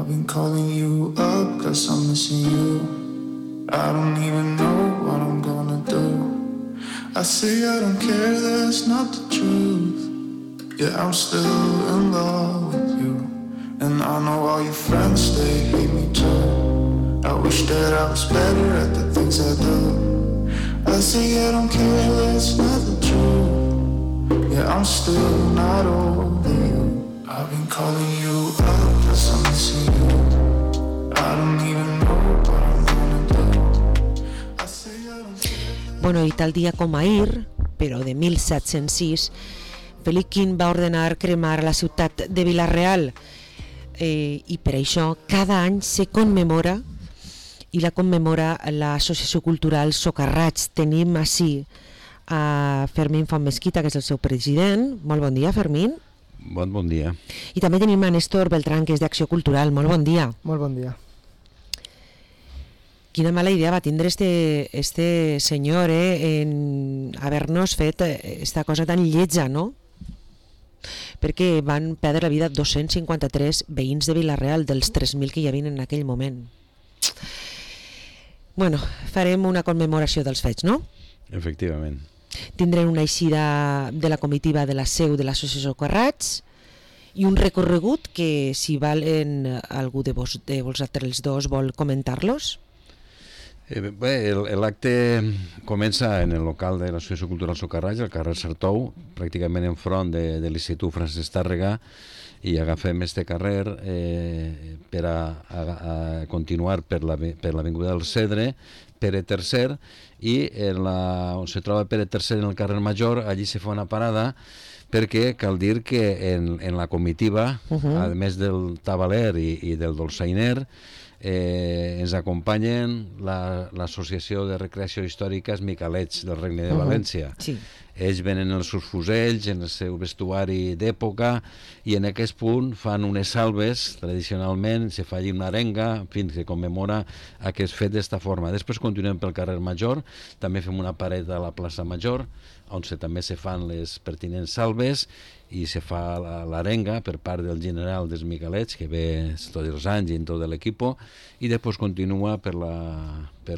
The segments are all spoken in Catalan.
I've been calling you up 'cause I'm missing you. I don't even know what I'm gonna do. I say I don't care, that's not the truth. Yeah, I'm still in love with you. And I know all your friends, they hate me too. I wish that I was better at the things I do. I say I don't care, that's not the truth. Yeah, I'm still not over you. I've been calling you up 'cause I'm missing you. I don't even know what I'm gonna do. I say I don't care. Bueno, i tal dia com ahir, però de 1706, Felip V va ordenar cremar la ciutat de Vila-real, i per això cada any se commemora, i la commemora l'Associació Cultural Socarrats. Tenim així a Fermín Font Mesquita, que és el seu president. Molt bon dia, Fermín. Bon dia. I també tenim a Néstor Beltrán, que és d'Acció Cultural. Molt bon dia. Molt bon dia. Quina mala idea va tindre este senyor en haver-nos fet esta cosa tan lletja, no? Perquè van perdre la vida 253 veïns de Vila-real dels 3.000 que hi havia en aquell moment. Bueno, farem una commemoració dels fets, no? Efectivament. Tindrem una eixida de la comitiva de la seu de l'Associació Socarrats i un recorregut que, si valen algú de vosaltres dos vol comentar-los. Bé, l'acte comença en el local de l'Associació Cultural Socarrats, al carrer Sartou, pràcticament enfront de l'Institut Francesc Tàrrega, i agafem este carrer per a continuar per l'Avinguda del Cedre, Pere III, i on se troba Pere III en el carrer Major, allí se fa una parada, perquè cal dir que en la comitiva, a més del tabaler i del dolçainer, ens acompanyen l'Associació de Recreació Històrica Miquelets del Regne de València. Sí. Ells venen els seus fusells, en el seu vestuari d'època, i en aquest punt fan unes salves, tradicionalment, se fa allí una arenga, en fi, que commemora aquest fet d'esta forma. Després continuem pel carrer Major, també fem una paret a la plaça Major, on també se fan les pertinents salves, i se fa l'arenga per part del general dels Miquelets, que ve tots els anys i en tot l'equip, i després continua pel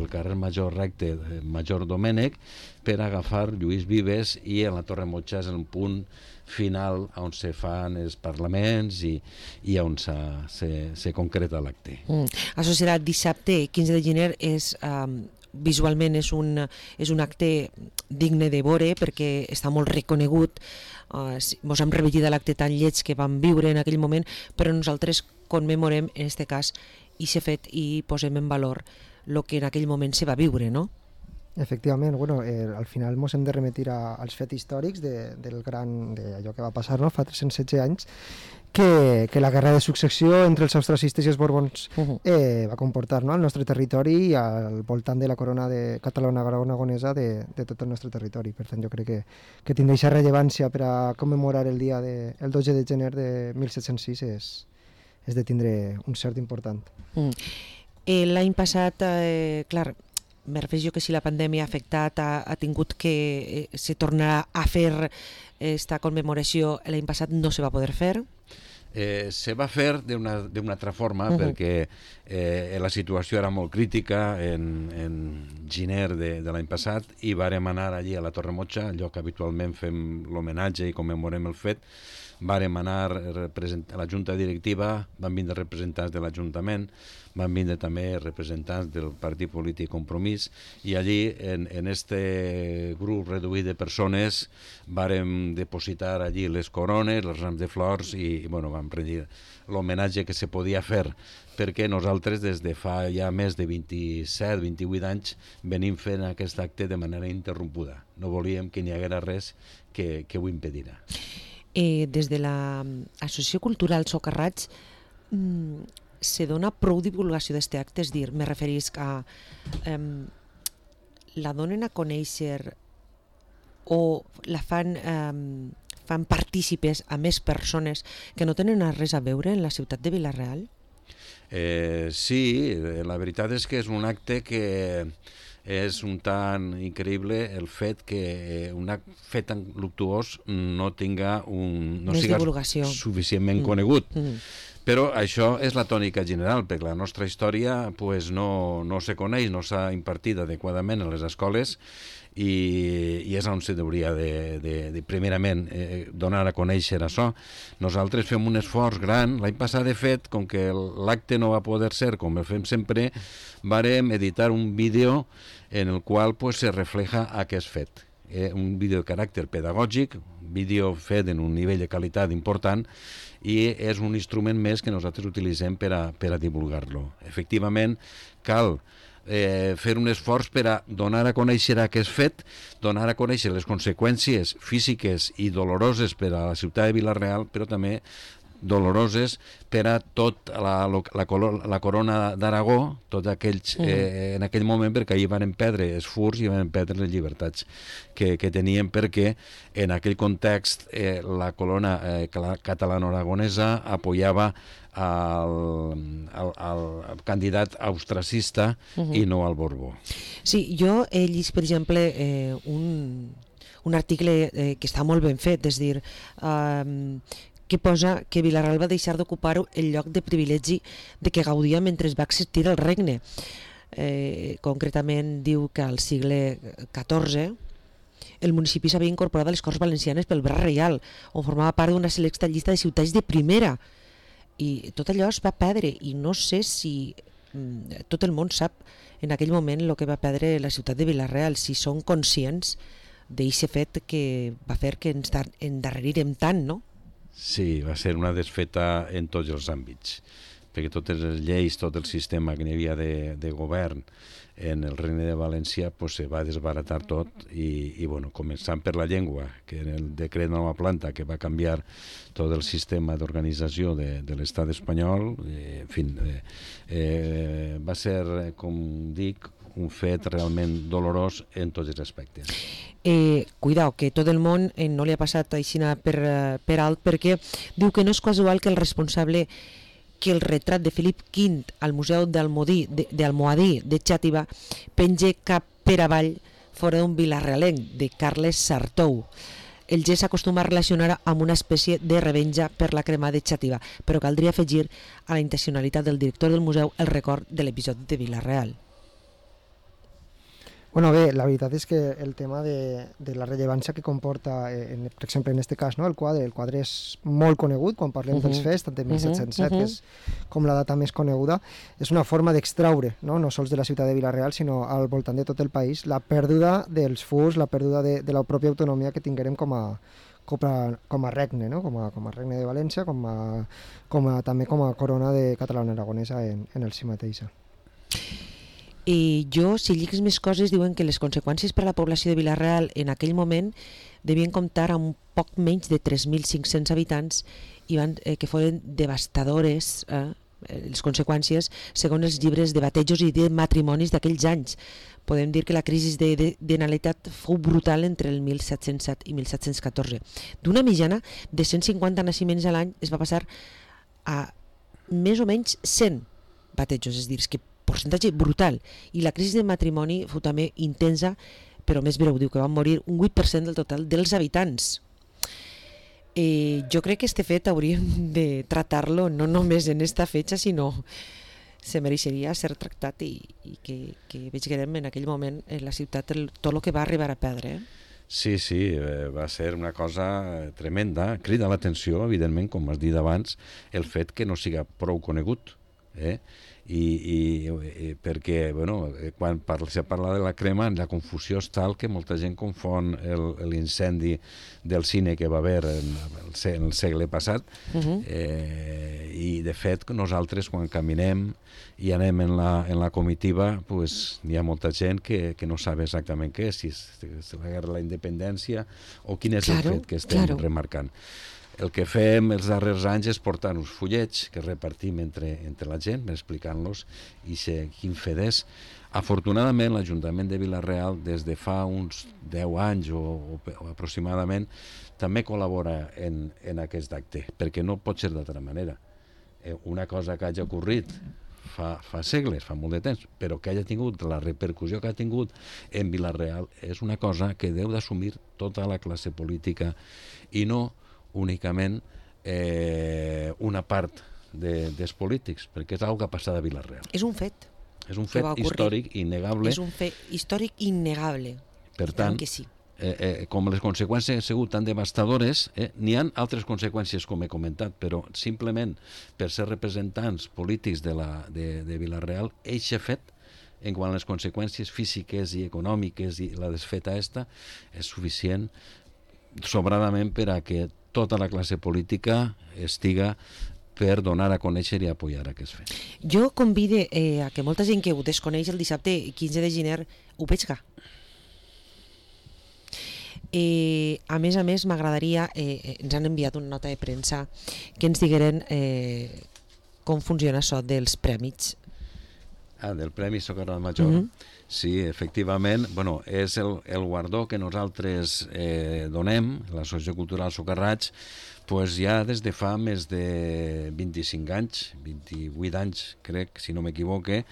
carrer Major recte, Major Domènec, per agafar Lluís Vives, i en la Torre Motxa és el punt final on se fan els parlaments i on se concreta l'acte. Associat dissabte 15 de gener visualment és un acte digne de veure perquè està molt reconegut. Mos hem repetit l'acte tan lleig que vam viure en aquell moment, però nosaltres commemorem en aquest cas i s'ha fet i posem en valor el que en aquell moment se va viure, no? Efectivament, bueno, al final ens hem de remitir als fets històrics d'allò que va passar, no?, fa 316 anys, que la guerra de successió entre els austracistes i els borbons va comportar, no?, al nostre territori i al voltant de la corona catalana-aragonesa de tot el nostre territori. Per tant, jo crec que tindre aquesta rellevància per a commemorar el dia el 12 de gener de 1706 és de tindre un cert important. L'any passat, clar, me refereixo que si la pandèmia ha afectat, ha tingut que se tornarà a fer esta commemoració, l'any passat no se va poder fer. Se va fer d'una altra forma, perquè la situació era molt crítica en gener de l'any passat, i vàrem anar allí a la Torre Motxa, allò que habitualment fem l'homenatge i commemorem el fet. Vàrem anar a la junta directiva, van vindre representants de l'Ajuntament, van vindre també representants del Partit Polític Compromís, i allí, en este grup reduït de persones, vàrem depositar allí les corones, els rams de flors, i bueno, vam rendir l'homenatge que se podia fer, perquè nosaltres des de fa ja més de 27-28 anys venim fent aquest acte de manera interrompuda. No volíem que n'hi haguera res que ho impedirà. Des de l'Associació Cultural Socarrats se dona prou divulgació d'aquest acte, és dir, me referís a la donen a conèixer o la fan partícipes a més persones que no tenen res a veure en la ciutat de Vila-real? Sí, la veritat és que és un acte que és un tant increïble el fet que un fet tan luctuós no tinga no siga suficientment conegut. Però això és la tònica general, perquè la nostra història pues, no se coneix, no s'ha impartit adequadament a les escoles i és on se hauria de primerament donar a conèixer això. Nosaltres fem un esforç gran. L'any passat, de fet, com que l'acte no va poder ser com el fem sempre, vàrem editar un vídeo en el qual pues, se refleja aquest fet. Un vídeo de caràcter pedagògic, vídeo fet en un nivell de qualitat important, i és un instrument més que nosaltres utilitzem per a divulgar-lo. Efectivament, cal fer un esforç per a donar a conèixer aquest fet, donar a conèixer les conseqüències físiques i doloroses per a la ciutat de Vila-real, però també doloroses per a tot la corona d'Aragó, tots aquells en aquell moment, perquè ahir van perdre els furs i van perdre les llibertats que tenien, perquè en aquell context la corona catalano-aragonesa apoyava al candidat austracista i no al Borbó. Sí, jo he llegit, per exemple, un article que està molt ben fet, és a dir, que posa que Vila-real va deixar d'ocupar el lloc de privilegi de què gaudia mentre va existir el regne. Concretament diu que al segle XIV el municipi s'havia incorporat a les Corts Valencianes pel Bra Reial, on formava part d'una selecta llista de ciutats de primera. I tot allò es va perdre, i no sé si tot el món sap en aquell moment el que va perdre la ciutat de Vila-real, si són conscients d'aquest fet que va fer que ens endarrerirem tant, no? Sí, va ser una desfeta en tots els àmbits, perquè totes les lleis, tot el sistema que n'hi havia de govern en el Regne de València pues, se va desbaratar tot i bueno, començant per la llengua, que en el decret de nova planta que va canviar tot el sistema d'organització de l'estat espanyol, en fi, va ser, com dic, un fet realment dolorós en tots els aspectes. Cuidao, que tot el món no li ha passat així per alt, perquè diu que no és casual que el responsable que el retrat de Felip V al Museu d'Almohadí de Xàtiva penge cap per avall fora d'un vilarrealenc, de Carles Sartou. El gest s'acostuma a relacionar amb una espècie de revenja per la crema de Xàtiva, però caldria afegir a la intencionalitat del director del museu el record de l'episodi de Vila-real. Bueno, bé, la veritat és que el tema de la rellevància que comporta, per exemple, en aquest cas, no, el quadre és molt conegut quan parlem dels fets, tant de 1707, que és com la data més coneguda, és una forma d'extraure, no sols de la ciutat de Vila-real, sinó al voltant de tot el país, la pèrdua dels furs, la pèrdua de la pròpia autonomia que tinguérem com a regne, no? com a regne de València, també com a corona de catalana-aragonesa en el si mateixa. I si lligues més coses, diuen que les conseqüències per a la població de Vila-real en aquell moment devien comptar amb poc menys de 3.500 habitants i que foren devastadores les conseqüències segons els llibres de batejos i de matrimonis d'aquells anys. Podem dir que la crisi de natalitat fou brutal entre el 1707 i 1714. D'una mitjana de 150 naixements a l'any es va passar a més o menys 100 batejos, és a dir, que percentatge brutal, i la crisi de matrimoni fou també intensa, però més breu, diu que van morir un 8% del total dels habitants. Jo crec que este fet hauríem de tratar-lo no només en esta fetxa, sinó se mereixeria ser tractat i que vegem en aquell moment en la ciutat tot el que va arribar a perdre. Sí, va ser una cosa tremenda, crida l'atenció, evidentment, com has dit abans, el fet que no siga prou conegut, i perquè quan se parla de la crema la confusió és tal que molta gent confon l'incendi del cine que va haver en el segle passat i de fet nosaltres quan caminem i anem en la comitiva hi ha molta gent que no sap exactament què és, si és la guerra de la independència o quin és el fet que estem remarcant. El que fem els darrers anys és portar uns fullets que repartim entre la gent, explicant-los i quin fet és. Afortunadament, l'Ajuntament de Vila-real, des de fa uns 10 anys o aproximadament, també col·labora en aquest acte, perquè no pot ser d'altra manera. Una cosa que hagi ocorrit fa segles, fa molt de temps, però que hagi tingut la repercussió que ha tingut en Vila-real és una cosa que deu d'assumir tota la classe política i no únicament una part dels polítics, perquè és una que ha passat a Vila-real. És un fet. És un fet històric innegable. És un fet històric innegable. Per tant, que sí. Com les conseqüències han sigut tan devastadores, n'hi ha altres conseqüències, com he comentat, però simplement per ser representants polítics de Vila-real, eixe fet, en quant a les conseqüències físiques i econòmiques i la desfeta esta, és suficient sobradament per a que tota la classe política estiga per donar a conèixer i apoyar aquest fet. Jo convide a que molta gent que ho desconeix el dissabte 15 de gener ho veig. A més, m'agradaria, ens han enviat una nota de premsa que ens digueren com funciona això dels prèmits. Del Premi Socarrat Major. Sí, efectivament, és el guardó que nosaltres donem, l'Associació Cultural Socarrats, ja des de fa més de 25 anys, 28 anys, crec, si no m'equivoque,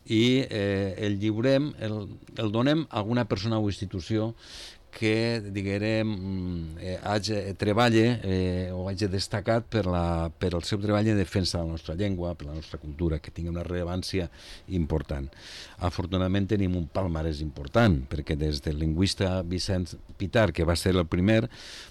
i el lliurem, el donem a alguna persona o institució que, diguem, treballa o hagi destacat per el seu treball en defensa de la nostra llengua, per la nostra cultura, que tingui una rellevància important. Afortunadament tenim un palmarès important, perquè des del lingüista Vicent Pitar, que va ser el primer,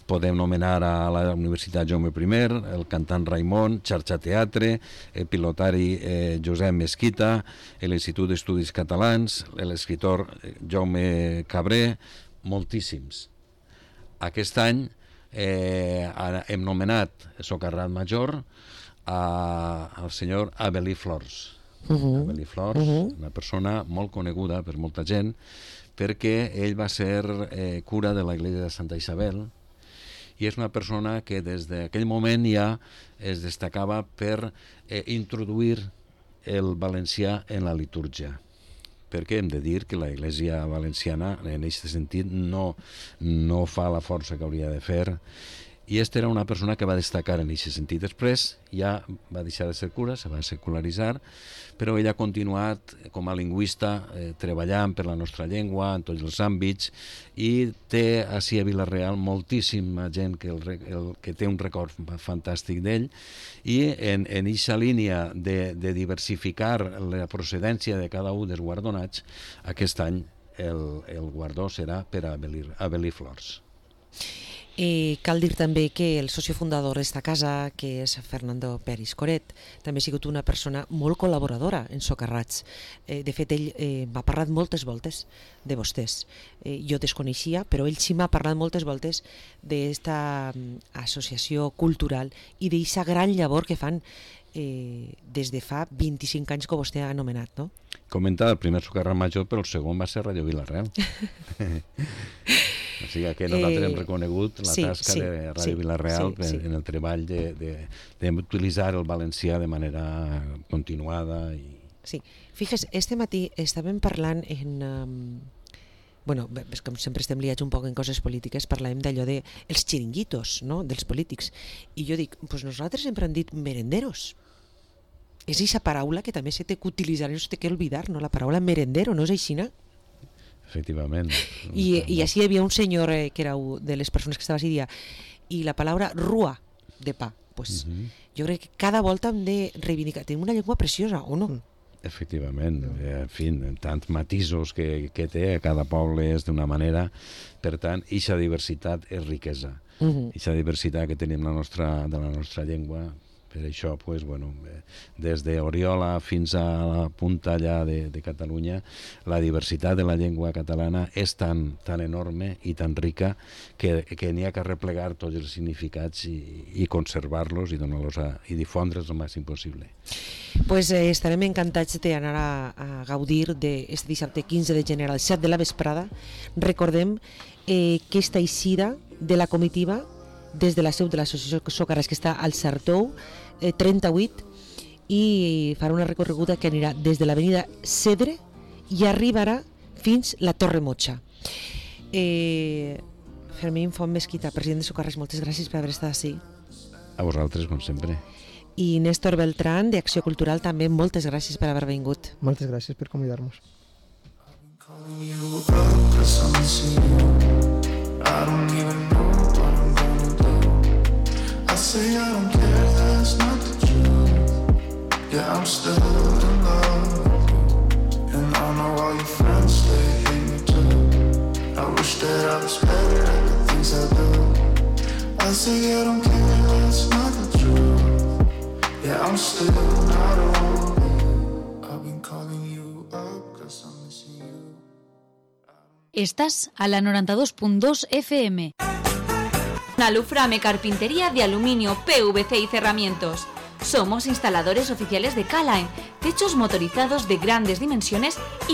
podem nomenar a la Universitat Jaume I, el cantant Raimon, Xarxa Teatre, el pilotari Josep Mesquita, l'Institut d'Estudis Catalans, l'escriptor Jaume Cabré, moltíssims. Aquest any hem nomenat Socarrat Major al senyor Avel·lí Flors. Avel·lí Flors, una persona molt coneguda per molta gent, perquè ell va ser cura de la Iglesia de Santa Isabel i és una persona que des d'aquell moment ja es destacava per introduir el valencià en la litúrgia, perquè hem de dir que la Iglesia valenciana en aquest sentit no fa la força que hauria de fer, i esta era una persona que va destacar en aquest sentit. Després ja va deixar de ser cura, se va secularitzar, però ell ha continuat com a lingüista treballant per la nostra llengua en tots els àmbits, i té ací a Vila-real moltíssima gent que té un record fantàstic d'ell, i en aquesta línia de diversificar la procedència de cada un dels guardonats, aquest any el guardó serà per a Avel·lí Flors. Cal dir també que el soci fundador d'esta casa, que és Fernando Peris Coret, també ha sigut una persona molt col·laboradora en Socarrats. De fet, ell m'ha parlat moltes voltes de vostès. Jo desconeixia, però ell sí m'ha parlat moltes voltes d'esta associació cultural i d'aquesta gran llavor que fan des de fa 25 anys que vostè ha anomenat, no? Comenta el primer Socarrat Major, però el segon va ser Radio Vila-real. O sigui que nosaltres hem reconegut la tasca de Ràdio Vila-real en el treball d'utilitzar el valencià de manera continuada. Sí, fixes, este matí estàvem parlant com sempre estem liats un poc en coses polítiques, parlàvem d'allò dels xiringuitos, dels polítics, i jo dic, nosaltres sempre hem dit merenderos. És aquesta paraula que també se té que utilitzar, no se té que oblidar, la paraula merendero, no és així, no? Efectivament. I així hi havia un senyor que era de les persones que estava així, i la paraula rua de pa. Jo crec que cada volta hem de reivindicar. Tenim una llengua preciosa, o no? Efectivament, en fi, tants matisos que té, cada poble és d'una manera, per tant, eixa diversitat és riquesa. Eixa diversitat que tenim de la nostra llengua. Per això, des d'Oriola fins a la punta allà de Catalunya, la diversitat de la llengua catalana és tan enorme i tan rica que n'hi ha que replegar tots els significats i conservar-los i difondre'ls el màxim possible. Estarem encantats d'anar a gaudir d'aquest dissabte 15 de gener al 7 de la vesprada. Recordem que aquesta eixida de la comitiva des de la seu de l'Associació Socarrats, que està al Sartou 38, i farà una recorreguda que anirà des de l'avenida Cedre i arribarà fins la Torre Motxa. Fermín Font Mesquita, president de Socarrats, moltes gràcies per haver estat així. A vosaltres, com sempre. I Néstor Beltrán, d'Acció Cultural, també moltes gràcies per haver vingut. Moltes gràcies per convidar-nos. I say I don't care, that's not the truth. said I was better at the things I do. I say I don't care, that's not the truth. Yeah, I'm still not over you. I've been calling you up 'cause I'm missing you. Estás a la 92.2 FM. Aluframe Carpintería de Aluminio, PVC y Cerramientos. Somos instaladores oficiales de K-Line, techos motorizados de grandes dimensiones y